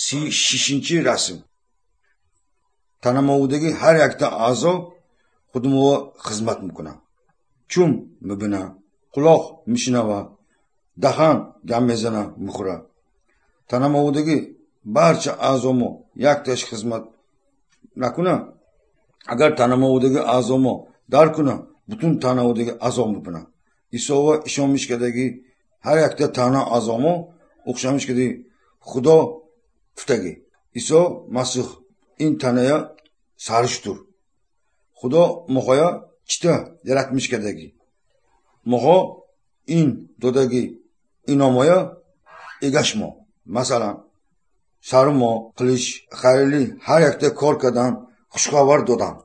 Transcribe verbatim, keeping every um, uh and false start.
Си шишинчи расм. Танаmovдagi ҳар якта аъзо худмова хизмат мекунад. Чум мебина, құлоқ мешунава, даҳан гап мезана, мехӯра. Танаmovдagi барча аъзомо якташ хизмат накуна, агар танаmovдagi аъзомо дар куна, бутун танаодagi аъзо мебина. Исова ишонмишкадаги ҳар якта тана аъзомо o'xshamishkadagi Худо гуфтаги. Исо Масиҳ ин таная саришдур. Худо моҳоя чита yaratmishkadagi. Моҳо ин додаги иномоя эгашмо. Масалан, сармо қилиш, xayrli har yakta kor кардан, хушхабар додан.